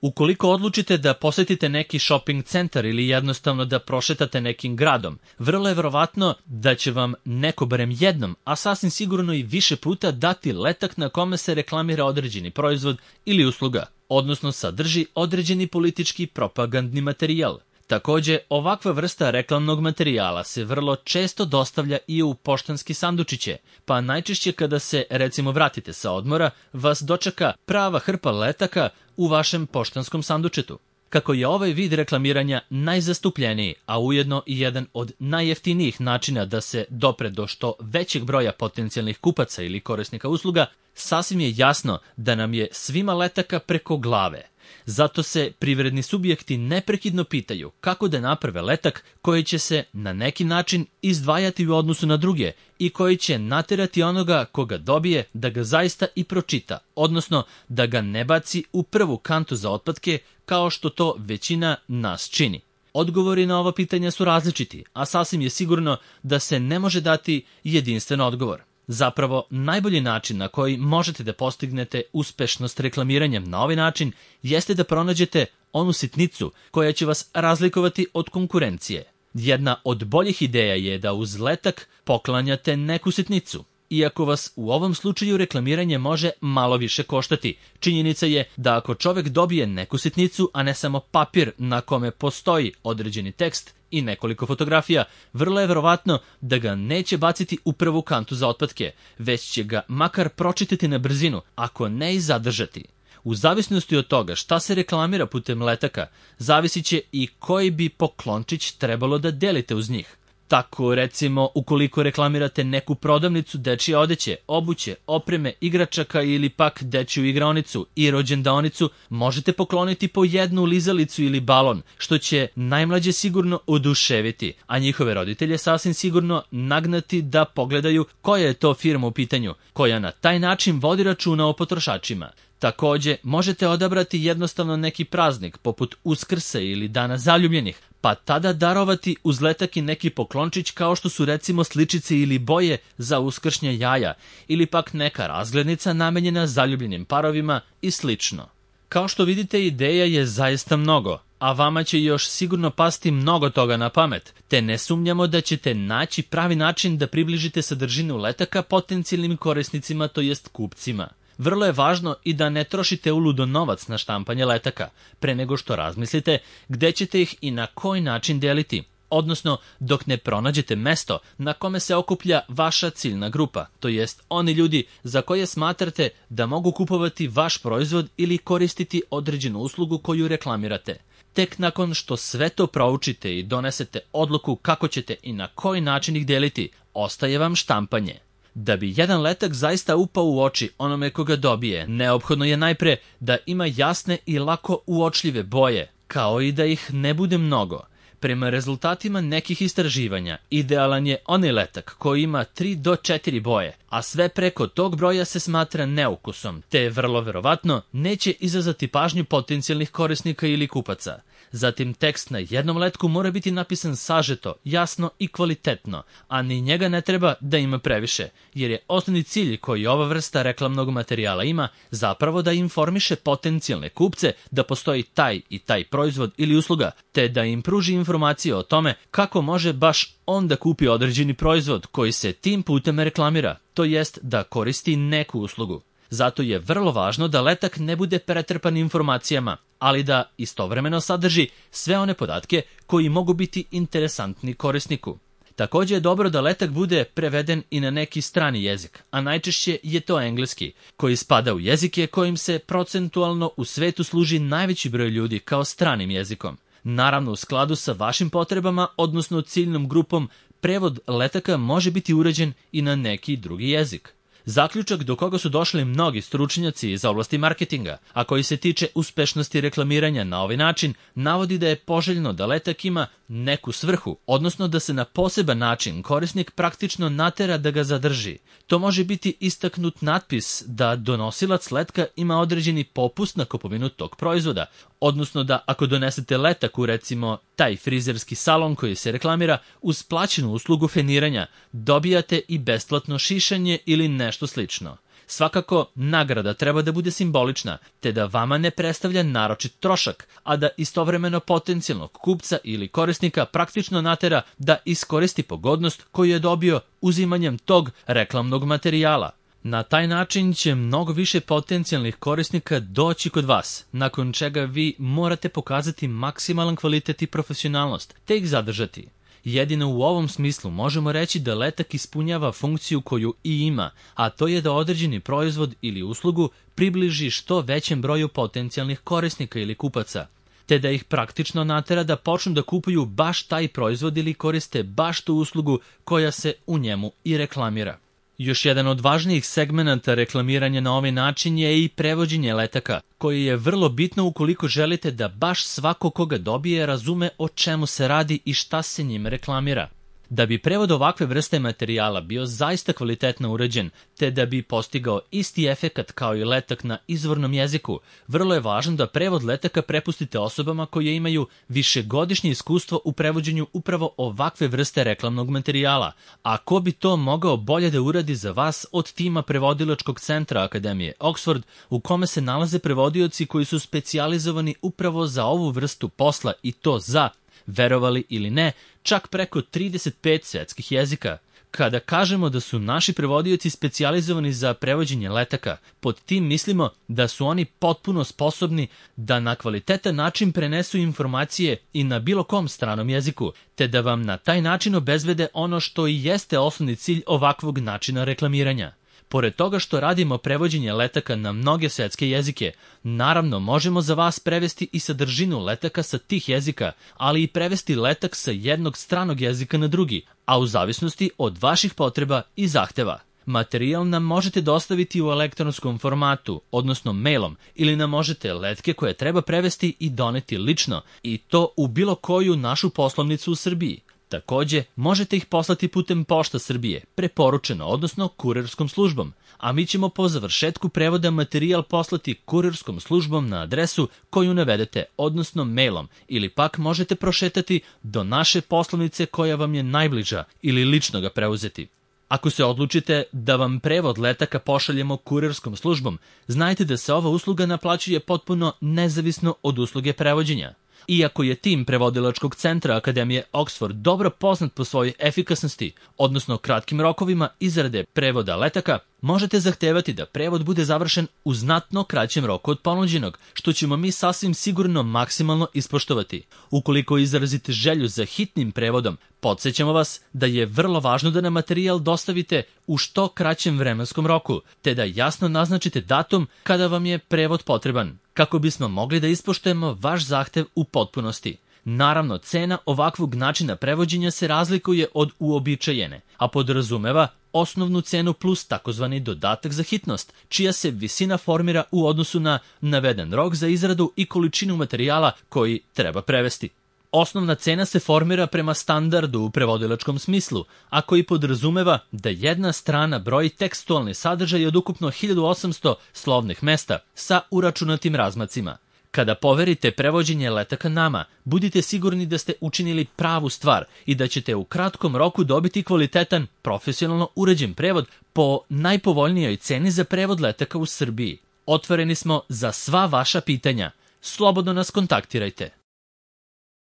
Ukoliko odlučite da posetite neki shopping centar ili jednostavno da prošetate nekim gradom, vrlo je verovatno da će vam neko barem jednom, a sasvim sigurno i više puta dati letak na kome se reklamira određeni proizvod ili usluga, odnosno sadrži određeni politički propagandni materijal. Takođe, ovakva vrsta reklamnog materijala se vrlo često dostavlja i u poštanski sandučiće, pa najčešće kada se, recimo, vratite sa odmora, vas dočeka prava hrpa letaka u vašem poštanskom sandučetu. Kako je ovaj vid reklamiranja najzastupljeniji, a ujedno i jedan od najjeftinijih načina da se dopre do što većeg broja potencijalnih kupaca ili korisnika usluga, sasvim je jasno da nam je svima letaka preko glave. Zato se privredni subjekti neprekidno pitaju kako da naprave letak koji će se na neki način izdvajati u odnosu na druge i koji će naterati onoga koga dobije da ga zaista i pročita, odnosno da ga ne baci u prvu kantu za otpatke kao što to većina nas čini. Odgovori na ova pitanja su različiti, a sasvim je sigurno da se ne može dati jedinstven odgovor. Zapravo, najbolji način na koji možete da postignete uspešnost reklamiranjem na ovaj način jeste da pronađete onu sitnicu koja će vas razlikovati od konkurencije. Jedna od boljih ideja je da uz letak poklanjate neku sitnicu. Iako vas u ovom slučaju reklamiranje može malo više koštati, činjenica je da ako čovek dobije neku sitnicu, a ne samo papir na kome postoji određeni tekst i nekoliko fotografija, vrlo je verovatno da ga neće baciti u prvu kantu za otpatke, već će ga makar pročitati na brzinu, ako ne i zadržati. U zavisnosti od toga šta se reklamira putem letaka, zavisit će i koji bi poklončić trebalo da delite uz njih. Tako, recimo, ukoliko reklamirate neku prodavnicu dečije odeće, obuće, opreme, igračaka ili pak dečiju igraonicu i rođendaonicu, možete pokloniti po jednu lizalicu ili balon, što će najmlađe sigurno oduševiti, a njihove roditelje sasvim sigurno nagnati da pogledaju koja je to firma u pitanju, koja na taj način vodi računa o potrošačima. Takođe, možete odabrati jednostavno neki praznik, poput Uskrsa ili Dana zaljubljenih, pa tada darovati uz letak i neki poklončić kao što su recimo sličice ili boje za uskršnje jaja, ili pak neka razglednica namenjena zaljubljenim parovima i slično. Kao što vidite, ideja je zaista mnogo, a vama će još sigurno pasti mnogo toga na pamet, te ne sumnjamo da ćete naći pravi način da približite sadržinu letaka potencijalnim korisnicima, to jest kupcima. Vrlo je važno i da ne trošite uludo novac na štampanje letaka, pre nego što razmislite gde ćete ih i na koji način deliti, odnosno dok ne pronađete mesto na kome se okuplja vaša ciljna grupa, to jest oni ljudi za koje smatrate da mogu kupovati vaš proizvod ili koristiti određenu uslugu koju reklamirate. Tek nakon što sve to proučite i donesete odluku kako ćete i na koji način ih deliti, ostaje vam štampanje. Da bi jedan letak zaista upao u oči onome koga dobije, neophodno je najpre da ima jasne i lako uočljive boje, kao i da ih ne bude mnogo. Prema rezultatima nekih istraživanja, idealan je onaj letak koji ima 3 do 4 boje, a sve preko tog broja se smatra neukusom, te vrlo verovatno neće izazvati pažnju potencijalnih korisnika ili kupaca. Zatim, tekst na jednom letku mora biti napisan sažeto, jasno i kvalitetno, a ni njega ne treba da ima previše, jer je osnovni cilj koji ova vrsta reklamnog materijala ima zapravo da informiše potencijalne kupce da postoji taj i taj proizvod ili usluga, te da im pruži informacije o tome kako može baš on da kupi određeni proizvod koji se tim putem reklamira, to jest da koristi neku uslugu. Zato je vrlo važno da letak ne bude pretrpan informacijama, ali da istovremeno sadrži sve one podatke koji mogu biti interesantni korisniku. Takođe je dobro da letak bude preveden i na neki strani jezik, a najčešće je to engleski, koji spada u jezike kojim se procentualno u svetu služi najveći broj ljudi kao stranim jezikom. Naravno, u skladu sa vašim potrebama, odnosno ciljnom grupom, prevod letaka može biti urađen i na neki drugi jezik. Zaključak do koga su došli mnogi stručnjaci iz oblasti marketinga, a koji se tiče uspešnosti reklamiranja na ovaj način, navodi da je poželjno da letak ima neku svrhu, odnosno da se na poseban način korisnik praktično natera da ga zadrži. To može biti istaknut natpis da donosilac letka ima određeni popust na kupovinu tog proizvoda, odnosno da ako donesete letak u recimo taj frizerski salon koji se reklamira, uz plaćenu uslugu feniranja dobijate i besplatno šišanje ili nešto slično. Svakako, nagrada treba da bude simbolična, te da vama ne predstavlja naročit trošak, a da istovremeno potencijalnog kupca ili korisnika praktično natera da iskoristi pogodnost koju je dobio uzimanjem tog reklamnog materijala. Na taj način će mnogo više potencijalnih korisnika doći kod vas, nakon čega vi morate pokazati maksimalan kvalitet i profesionalnost, te ih zadržati. Jedino u ovom smislu možemo reći da letak ispunjava funkciju koju i ima, a to je da određeni proizvod ili uslugu približi što većem broju potencijalnih korisnika ili kupaca, te da ih praktično natera da počnu da kupuju baš taj proizvod ili koriste baš tu uslugu koja se u njemu i reklamira. Još jedan od važnijih segmenata reklamiranja na ovaj način je i prevođenje letaka, koji je vrlo bitno ukoliko želite da baš svako koga dobije razume o čemu se radi i šta se njime reklamira. Da bi prevod ovakve vrste materijala bio zaista kvalitetno urađen, te da bi postigao isti efekat kao i letak na izvornom jeziku, vrlo je važno da prevod letaka prepustite osobama koje imaju višegodišnje iskustvo u prevođenju upravo ovakve vrste reklamnog materijala. A ko bi to mogao bolje da uradi za vas od tima prevodilačkog centra Akademije Oxford, u kome se nalaze prevodioci koji su specijalizovani upravo za ovu vrstu posla i to za, verovali ili ne, čak preko 35 svetskih jezika. Kada kažemo da su naši prevodioci specijalizovani za prevođenje letaka, pod tim mislimo da su oni potpuno sposobni da na kvalitetan način prenesu informacije i na bilo kom stranom jeziku, te da vam na taj način obezbede ono što i jeste osnovni cilj ovakvog načina reklamiranja. Pored toga što radimo prevođenje letaka na mnoge svetske jezike, naravno možemo za vas prevesti i sadržinu letaka sa tih jezika, ali i prevesti letak sa jednog stranog jezika na drugi, a u zavisnosti od vaših potreba i zahteva. Materijal nam možete dostaviti u elektronskom formatu, odnosno mailom, ili nam možete letke koje treba prevesti i doneti lično, i to u bilo koju našu poslovnicu u Srbiji. Takođe, možete ih poslati putem Pošta Srbije, preporučeno, odnosno kurirskom službom, a mi ćemo po završetku prevoda materijal poslati kurirskom službom na adresu koju navedete, odnosno mailom, ili pak možete prošetati do naše poslovnice koja vam je najbliža ili lično ga preuzeti. Ako se odlučite da vam prevod letaka pošaljemo kurirskom službom, znajte da se ova usluga naplaćuje potpuno nezavisno od usluge prevođenja. Iako je tim prevodilačkog centra Akademije Oxford dobro poznat po svojoj efikasnosti, odnosno kratkim rokovima izrade prevoda letaka, možete zahtevati da prevod bude završen u znatno kraćem roku od ponuđenog, što ćemo mi sasvim sigurno maksimalno ispoštovati. Ukoliko izrazite želju za hitnim prevodom, podsjećamo vas da je vrlo važno da nam materijal dostavite u što kraćem vremenskom roku, te da jasno naznačite datum kada vam je prevod potreban, kako bismo mogli da ispoštujemo vaš zahtev u potpunosti. Naravno, cena ovakvog načina prevođenja se razlikuje od uobičajene, a podrazumeva osnovnu cenu plus takozvani dodatak za hitnost, čija se visina formira u odnosu na naveden rok za izradu i količinu materijala koji treba prevesti. Osnovna cena se formira prema standardu u prevodilačkom smislu, a koji podrazumeva da jedna strana broji tekstualni sadržaj od ukupno 1800 slovnih mesta sa uračunatim razmacima. Kada poverite prevođenje letaka nama, budite sigurni da ste učinili pravu stvar i da ćete u kratkom roku dobiti kvalitetan, profesionalno uređen prevod po najpovoljnijoj ceni za prevod letaka u Srbiji. Otvoreni smo za sva vaša pitanja. Slobodno nas kontaktirajte.